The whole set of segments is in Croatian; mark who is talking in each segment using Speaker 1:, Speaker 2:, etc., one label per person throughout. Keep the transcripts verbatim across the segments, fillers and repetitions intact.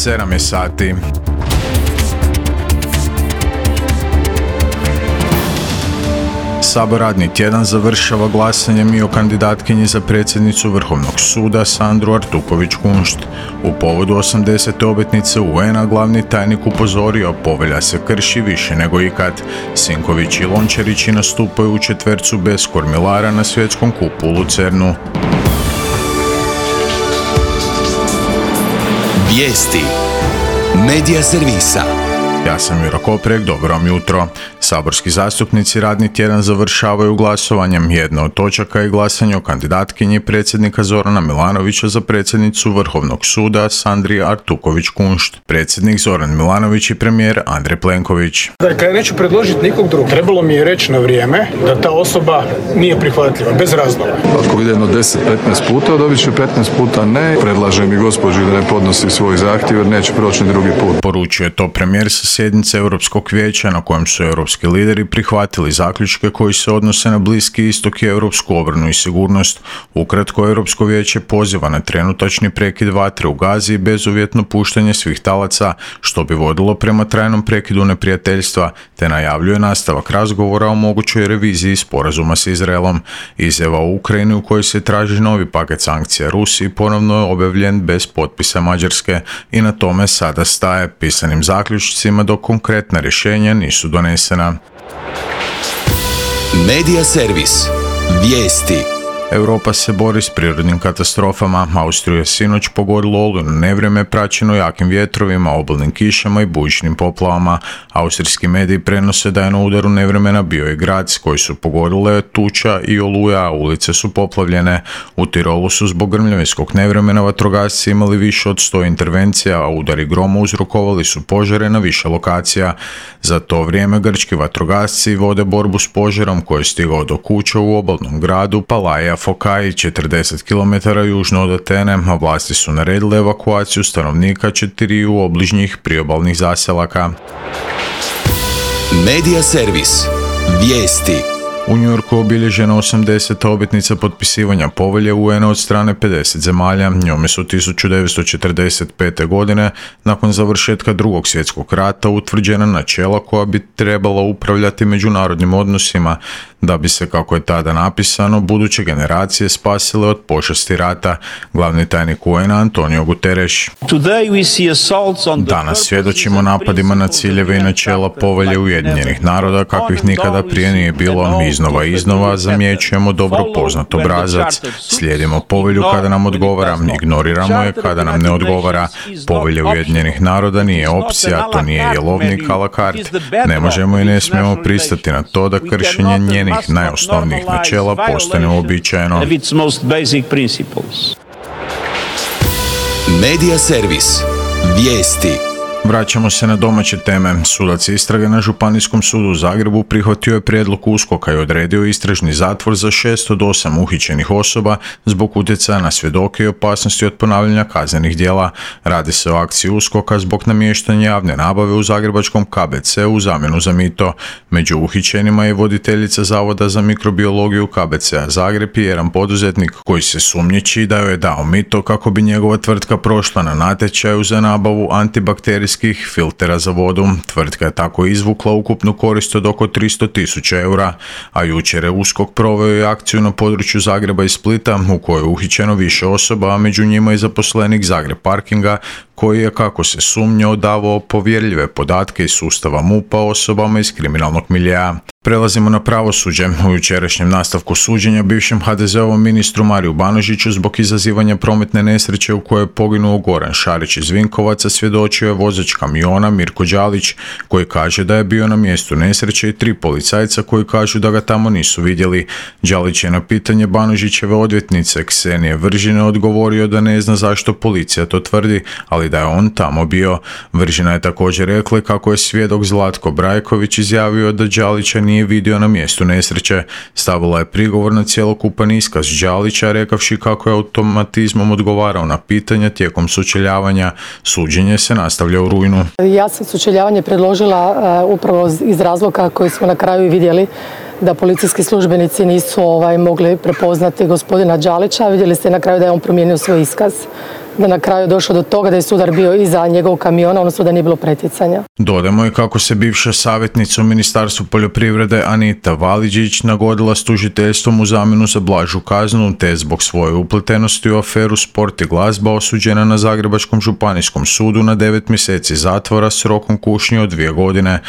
Speaker 1: sedam je sati. Sabor radni tjedan završava glasanjem i o kandidatkinji za predsjednicu Vrhovnog suda Sandru Artuković-Kunšt. U povodu osamdesete obljetnice U N-a glavni tajnik upozorio, povelja se krši više nego ikad. Sinković i Lončarići nastupaju u četvercu bez kormilara na svjetskom kupu u Lucernu.
Speaker 2: Vijesti Medija servisa.
Speaker 1: Ja sam Juro Koprek, dobro vam jutro. Saborski zastupnici radni tjedan završavaju glasovanjem. Jedna od točaka je glasanje o kandidatkinji predsjednika Zorana Milanovića za predsjednicu Vrhovnog suda Sandri Artuković-Kunšt. Predsjednik Zoran Milanović i premijer Andrej Plenković.
Speaker 3: Dakle, ja neću predložiti nikog drugog. Trebalo mi je reći na vrijeme da ta osoba nije prihvatljiva, bez razloga.
Speaker 4: Ako vide jedno deset do petnaest puta, dobit će petnaest puta ne. Predlažem i gospođi da ne podnosi svoj zahtjev jer neće proći ni drugi put.
Speaker 1: Poručio je to premijer sa sjednice Europskog vijeća na kojem su europski lideri prihvatili zaključke koji se odnose na Bliski istok i europsku obranu i sigurnost. Ukratko, Europsko vijeće poziva na trenutačni prekid vatre u Gazi i bezuvjetno puštanje svih talaca, što bi vodilo prema trajnom prekidu neprijateljstva, te najavljuje nastavak razgovora o mogućoj reviziji sporazuma s Izraelom. Izjava u Ukrajini u kojoj se traži novi paket sankcija Rusiji ponovno je objavljen bez potpisa Mađarske i na tome sada staje, pisanim zaključcima dok konkretna rješenja nisu donesena.
Speaker 2: Medija servis. Vijesti.
Speaker 1: Europa se bori s prirodnim katastrofama. Austriju je sinoć pogodilo olujno nevrijeme praćeno jakim vjetrovima, obilnim kišama i bujičnim poplavama. Austrijski mediji prenose da je na udaru nevremena bio i grad koji su pogodile tuča i oluja, a ulice su poplavljene. U Tirolu su zbog grmljavinskog nevremena vatrogasci imali više od sto intervencija, a udari groma uzrokovali su požare na više lokacija. Za to vrijeme grčki vatrogasci vode borbu s požarom koji je stigao do kuća u obalnom gradu Palaja Fokai, četrdeset kilometara južno od Atene, a vlasti su naredile evakuaciju stanovnika četiriju obližnjih priobalnih zaselaka.
Speaker 2: Medija servis. Vijesti.
Speaker 1: U New Yorku je obilježena osamdeseta obljetnica potpisivanja povelje U N-a od strane pedeset zemalja. Njome su tisuću devetsto četrdeset pete. godine, nakon završetka drugog svjetskog rata, utvrđena načela koja bi trebala upravljati međunarodnim odnosima, da bi se, kako je tada napisano, buduće generacije spasile od pošasti rata. Glavni tajnik U N-a Antonio Guterres. Danas svjedočimo napadima na ciljeve i načela povelje Ujedinjenih naroda kakvih nikada prije nije bilo. Iznova i iznova zamjećujemo dobro poznat obrazac. Slijedimo povelju kada nam odgovara, ignoriramo je kada nam ne odgovara. Povelja Ujedinjenih naroda nije opcija, to nije jelovnik a la carte. Ne možemo i ne smijemo pristati na to da kršenje njenih najosnovnijih načela postane uobičajeno.
Speaker 2: Medija servis. Vijesti.
Speaker 1: Vraćamo se na domaće teme. Sudac istrage na Županijskom sudu u Zagrebu prihvatio je prijedlog USKOK-a i odredio istražni zatvor za šest od osam uhićenih osoba zbog utjecaja na svjedoke i opasnosti od ponavljanja kaznenih djela. Radi se o akciji USKOK-a zbog namještanja javne nabave u zagrebačkom K B C-u u zamjenu za mito. Među uhićenima je voditeljica Zavoda za mikrobiologiju K B C-a Zagreb i jedan poduzetnik koji se sumnjiči da joj je dao mito kako bi njegova tvrtka prošla na natječaju za nabavu antibakterijskih filtera za vodu. Tvrtka je tako izvukla ukupnu korist od oko tristo tisuća eura, a jučer je USKOK proveo i akciju na području Zagreba i Splita u kojoj je uhićeno više osoba, a među njima i zaposlenik Zagreb Parkinga koji je, kako se sumnja, davao povjerljive podatke iz sustava MUP-a osobama iz kriminalnog miljea. Prelazimo na pravosuđe. U jučerašnjem nastavku suđenja bivšem ha de zeovom ministru Mariju Banožiću zbog izazivanja prometne nesreće u kojoj je poginuo Goran Šarić iz Vinkovaca svjedočio je vozač kamiona Mirko Đalić, koji kaže da je bio na mjestu nesreće, i tri policajca koji kažu da ga tamo nisu vidjeli. Đalić je na pitanje Banožićeve odvjetnice Ksenije Vržine odgovorio da ne zna zašto policija to tvrdi, ali da je on tamo bio. Vržina je također rekla kako je svjedok Zlatko Brajković izjavio da Đalića nije vidio na mjestu nesreće. Stavila je prigovor na cjelokupan iskaz Đalića, rekavši kako je automatizmom odgovarao na pitanja tijekom sučeljavanja. Suđenje se nastavlja u rujnu.
Speaker 5: Ja sam sučeljavanje predložila uh, upravo iz razloga koji smo na kraju vidjeli, da policijski službenici nisu ovaj, mogli prepoznati gospodina Đalića. Vidjeli ste na kraju da je on promijenio svoj iskaz. da na kraju je došlo do toga da je sudar bio iza njegovog kamiona, odnosno da nije bilo pretjecanja.
Speaker 1: Dodamo i kako se bivša savjetnica u Ministarstvu poljoprivrede Anita Valiđić nagodila s tužiteljstvom u zamjenu za blažu kaznu, te zbog svoje upletenosti u aferu Sport i glazba osuđena na Zagrebačkom županijskom sudu na devet mjeseci zatvora s rokom kušnje od dvije godine.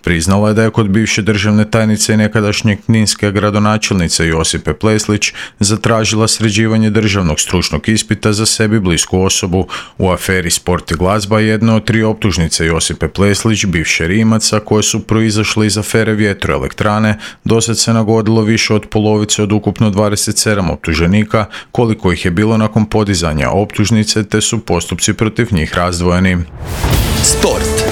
Speaker 1: Priznala je da je kod bivše državne tajnice i nekadašnje kninske gradonačelnice Josipe Pleslić zatražila sređivanje državnog stručnog ispita za sebi blisku osobu. U aferi Sport i glazba jedna od tri optužnice Josipe Pleslić, bivše Rimaca, koje su proizašle iz afere vjetroelektrane, dosad se nagodilo više od polovice od ukupno dvadeset sedam optuženika, koliko ih je bilo nakon podizanja optužnice, te su postupci protiv njih razdvojeni.
Speaker 2: Sport.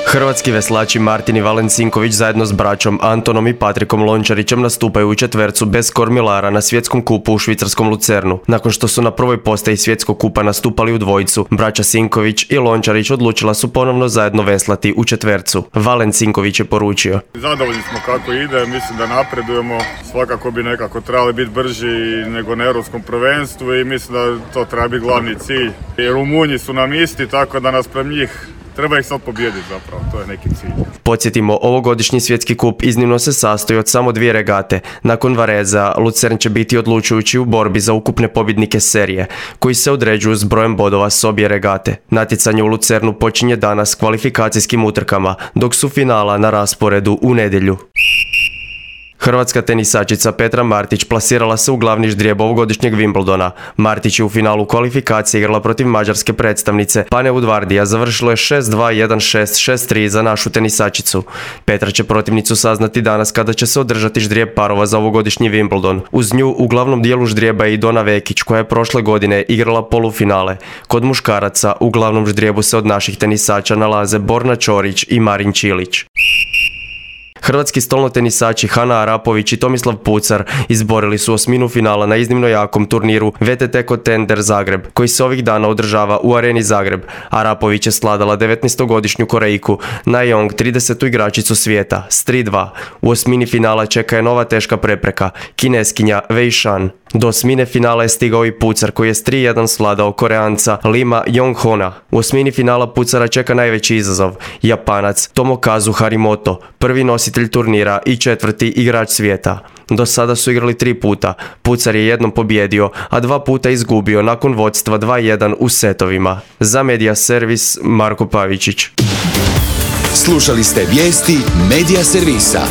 Speaker 6: Hrvatski veslači Martin i Valen Sinković zajedno s braćom Antonom i Patrikom Lončarićem nastupaju u četvercu bez kormilara na svjetskom kupu u švicarskom Lucernu. Nakon što su na prvoj postaji svjetskog kupa nastupali u dvojicu, braća Sinković i Lončarić odlučila su ponovno zajedno veslati u četvercu. Valen Sinković je poručio:
Speaker 7: Zadovoljni smo kako ide, mislim da napredujemo, svakako bi nekako trebali biti brži nego na europskom prvenstvu i mislim da to treba biti glavni cilj. I Rumunji su nam isti, tako da nas prema njih treba ih sad pobijediti zapravo, to je neki cilj.
Speaker 6: Podsjetimo, ovogodišnji svjetski kup iznimno se sastoji od samo dvije regate. Nakon Vareza, Lucern će biti odlučujući u borbi za ukupne pobjednike serije, koji se određuju s brojem bodova s obje regate. Natjecanje u Lucernu počinje danas kvalifikacijskim utrkama, dok su finala na rasporedu u nedjelju. Hrvatska tenisačica Petra Martić plasirala se u glavni ždrijeb ovogodišnjeg Wimbledona. Martić je u finalu kvalifikacije igrala protiv mađarske predstavnice Pane Udvardija, završilo je šest dva, jedan šest, šest tri za našu tenisačicu. Petra će protivnicu saznati danas kada će se održati ždrijeb parova za ovogodišnji Wimbledon. Uz nju u glavnom dijelu ždrijeba je i Dona Vekić, koja je prošle godine igrala polufinale. Kod muškaraca u glavnom ždrijebu se od naših tenisača nalaze Borna Ćorić i Marin Čilić. Hrvatski stolnotenisači Hana Arapović i Tomislav Pucar izborili su osminu finala na iznimno jakom turniru V T T Contender Zagreb, koji se ovih dana održava u Areni Zagreb. Arapović je sladala devetnaestogodišnju Korejku, najjong tridesetu igračicu svijeta, s tri dva. U osmini finala čeka je nova teška prepreka, Kineskinja Wei Shan. Do osmine finala je stigao i Pucar, koji je s tri jedan svladao Koreanca Lima Yonghona. U osmini finala Pucara čeka najveći izazov, Japanac Tomokazu Harimoto, prvi nositelj turnira i četvrti igrač svijeta. Do sada su igrali tri puta. Pucar je jednom pobjedio, a dva puta izgubio nakon vodstva dva jedan u setovima. Za Media Servis, Marko Pavičić.
Speaker 2: Slušali ste vijesti Media Servisa.